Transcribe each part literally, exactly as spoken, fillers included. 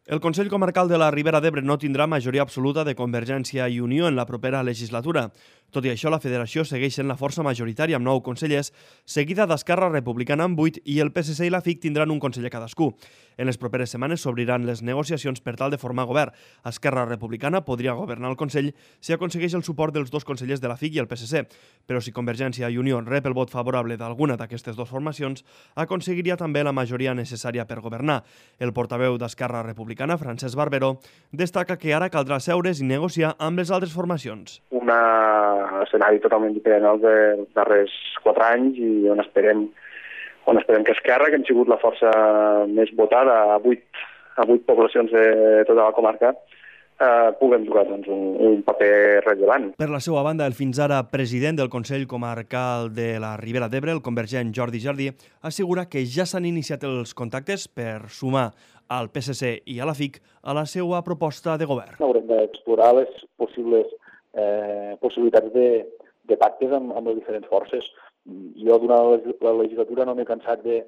El Consell Comarcal de la Ribera d'Ebre no tindrà majoria absoluta de Convergència i Unió en la propera legislatura. Tot i això, la federació segueix sent la força majoritària amb nou consellers, seguida d'Esquerra Republicana amb vuit i el P S C i la F I C tindran un conseller cadascú. En les properes setmanes s'obriran les negociacions per tal de formar govern. Esquerra Republicana podria governar el Consell si aconsegueix el suport dels dos consellers de la F I C i el P S C, però si Convergència i Unió rep el vot favorable d'alguna d'aquestes dues formacions, aconseguiria també la majoria necessària per governar. El portaveu d'Esquerra Republicana, Francesc Barberó, destaca que ara caldrà seure's i negociar amb les altres formacions. Un escenari totalment diferent als dels darrers quatre anys i on esperem, on esperem que Esquerra, que hem sigut la força més votada a vuit, a vuit poblacions de tota la comarca, eh, puguem jugar doncs, un, un paper rellevant. Per la seva banda, el fins ara president del Consell Comarcal de la Ribera d'Ebre, el convergent Jordi Jardí, assegura que ja s'han iniciat els contactes per sumar al P S C i a la F I C a la seva proposta de govern. Haurem d'explorar les possibles eh, possibilitats de, de pactes amb, amb les diferents forces. Jo, durant la legislatura, no m'he cansat de,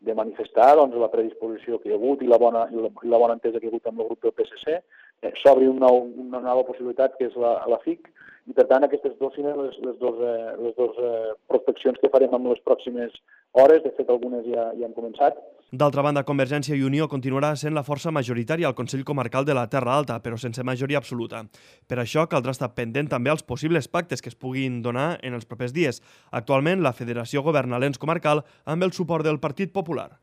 de manifestar doncs, la predisposició que hi ha hagut i la bona, i la, i la bona entesa que hi ha hagut amb el grup del P S C. Eh, S'obri un nou, una nova possibilitat, que és la, la F I C, i per tant aquestes dos serien les, les dues eh, les dos, eh, prospeccions que farem en les pròximes hores. De fet, algunes ja, ja han començat. D'altra banda, Convergència i Unió continuarà sent la força majoritària al Consell Comarcal de la Terra Alta, però sense majoria absoluta. Per això caldrà estar pendent també als possibles pactes que es puguin donar en els propers dies. Actualment, la Federació governa l'ens comarcal amb el suport del Partit Popular.